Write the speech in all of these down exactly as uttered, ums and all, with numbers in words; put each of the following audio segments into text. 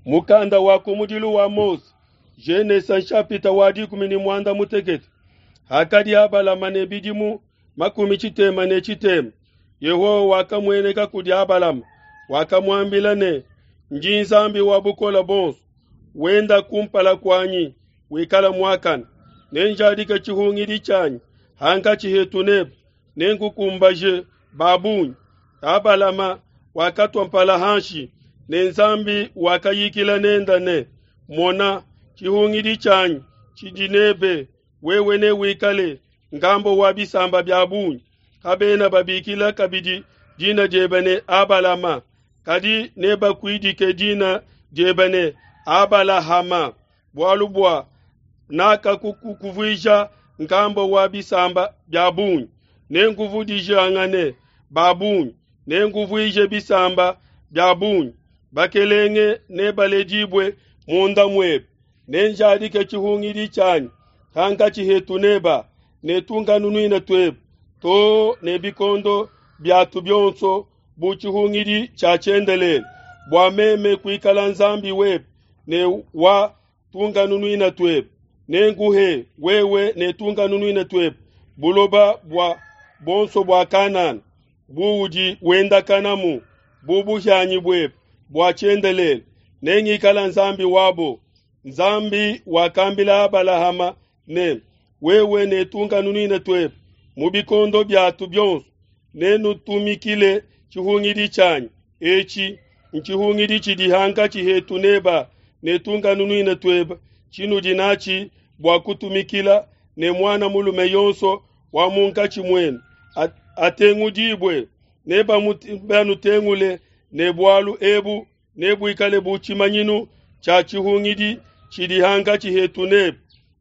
Mukanda wa kumudilu wa Mose, Genesa nshapita wa dikumi ne muanda mutekete. Hakadi Abalama ne bidimu makumi tshitema ne tshitema, Yehowa wakamueneka kudi Abalama, wakamuambila ne, Ndi Nzambi wa bukole buonso, wenda kumpala kuanyi wikala muakane. Nenjadike tshihungidi tshianyi hankatshi hetu nebe, nenkukumbaje ba bungi. Abalama wakatua mpala hanshi, ne Nzambi wakayikila nenda ne, Mona, tshihungidi tshianyi tshidi nebe, wewe newikale ngambo wa bisamba bia bungi. Kabena babikila kabidi dina diebe ne Abalama, kadi nebakuidike dina diebe ne Abalahama, bualu bua nakakukuvuija ngambo wa bisamba bia bungi. Nenkuvudijangane ba bungi, nenkuvuije bisamba bia bungi. Bakelenge nebaledibue munda muebe. Nenjadike tshihungidi tshianyi hankatshi hetu neba ne tunkanunuina tuebe to ne bikondo biatu bionso bu tshihungidi tshia tshiendelele, bua meme kuikala Nzambi webe ne wa tunkanunuina tuebe. Nenkuhe wewe ne tunkanunuina tuebe buloba bua bonso bua Kanana buudi wendakanamu bu buhianyi buebe bua tshiendelele. Nengikala Nzambi wabo. Nzambi wakambila Abalahama ne, wewe ne tunkanunuina tuebe mu bikondo biatu bionso nenutumikile tshihungidi tshianyi etshi, ntshihungidi tshidi hankatshi hetu neba ne tunkanunuina tuebe, tshinudi natshi bua kutumikila, ne muana mulume yonso wa munkatshi muenu atengudibue, nebanutengule, ne bualu ebu nebuikale bu tshimanyinu tshia tshihungidi tshidi hankatshi hetu nebe.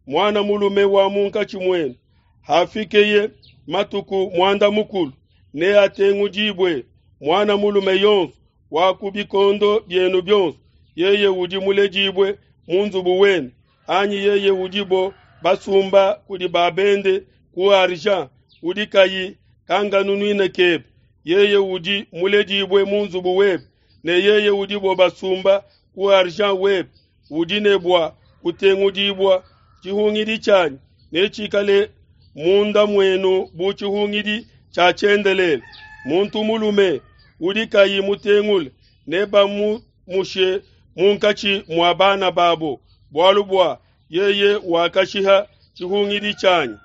Muana mulume wa munkatshi muenu hafikeye matuku muanda mukulu neatengudibue, muana mulume yonso wa ku bikondo bienu bionso, yeye udi muledibue mu nzubu wenu, anyi yeye udibo basumba kudi babende ku argent, udi kayi kanganunuina kebe, yeye udi muledibue mu nzubu webe, ne yeye udibo basumba ku argent webe, udi ne bua kutengudibua. Tshihungidi tshianyi netshikale munda muenu bu tshihungidi tshia tshiendelele. Muntu mulume udi kayi mutengule nebamumushe munkatshi mua bana babo, bualu bua yeye wakashiha tshihungidi tshianyi.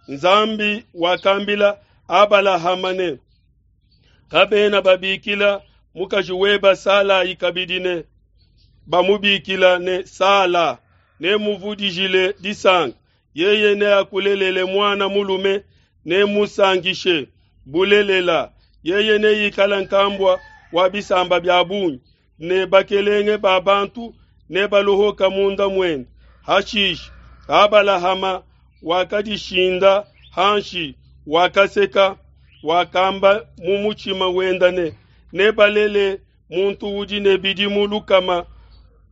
Nzambi wakambila Abalahama ne, kabena babikila mukaji weba Salai kabidi ne bamubikila ne Sala, nemuvudijile disanka, yeye neakulelele muana mulume, nemusankishe bulelela, yeye neikala nkambua wa bisamba bia bungi, ne bakelenge ba bantu nebaluhuka munda muende. Hashishe Abalahama wakadishinda hanshi, wakaseka, wakamba mu mutshima wenda ne, nebalele muntu udi ne bidimu lukama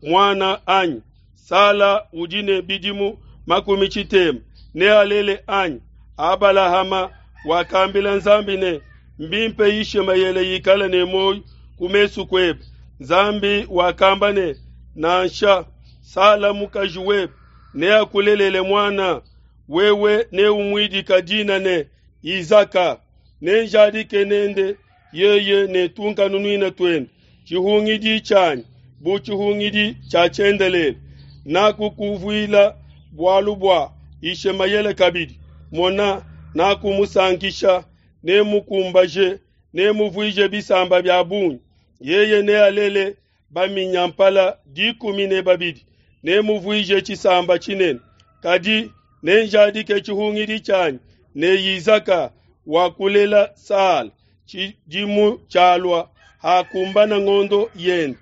muana anyi? Sala udi ne bidimu makumi tshitema nealele anyi? Abalahama wakambila Nzambi ne, mbimpe Ishimaele ikale ne muoyo ku mesu kuebe. Nzambi wakamba ne, nansha, Sala mukaji webe neakulelele muana, wewe neumuidika dina ne Izaka. Nenjadike nende yeye ne tunkanunuina tuende tshihungidi tshianyi bu tshihungidi tshia tshiendelele. Nakukuvuila bualu bua Ishimaele kabidi, mona, nakumusankisha, nemukumbaje, nemuvuije bisamba bia bungi. Yeye nealele baminyampala dikumi ne babidi, nemuvuije tshisamba tshinene. Kadi nenjadike tshihungidi tshianyi ne Izaka wakulela Sala tshidimu tshialua hakumbana ngondo yende.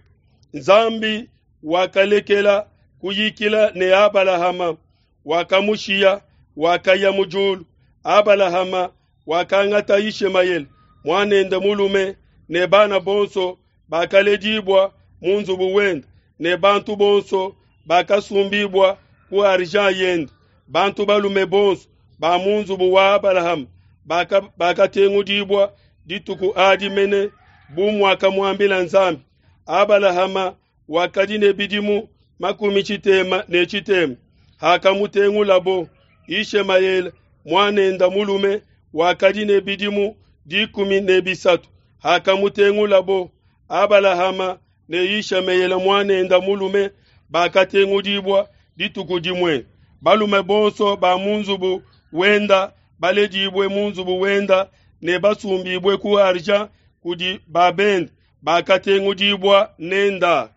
Nzambi wakalekela kuyikila ne Abalahama, wakamushiya, wakaya mu diulu. Abalahama wakangata Ishimaele muanende mulume ne bana bonso bakaledibua mu nzubu wende, ne bantu bonso bakasumbibua ku argent yende. Bantu balume bonso ba mu nzubu wa Abalahama bakatengudibua dituku adi mene bu muakamuambila Nzambi. Abalahama wakadi ne bidimu makumi tshitema ne tshitema hakamutengulabo. Yishemaele, muan'ende mulume, wakadi ne bidimu dikumi ne bisatu hakamutengulabo. Abalahama ne Yishemaele muan'ende mulume bakatengudibua dituku dimue. Balume bonso ba mu nzubu wenda baledibue mu nzubu wenda ne basumbibue ku argent kudi babende bakatengudibua nenda.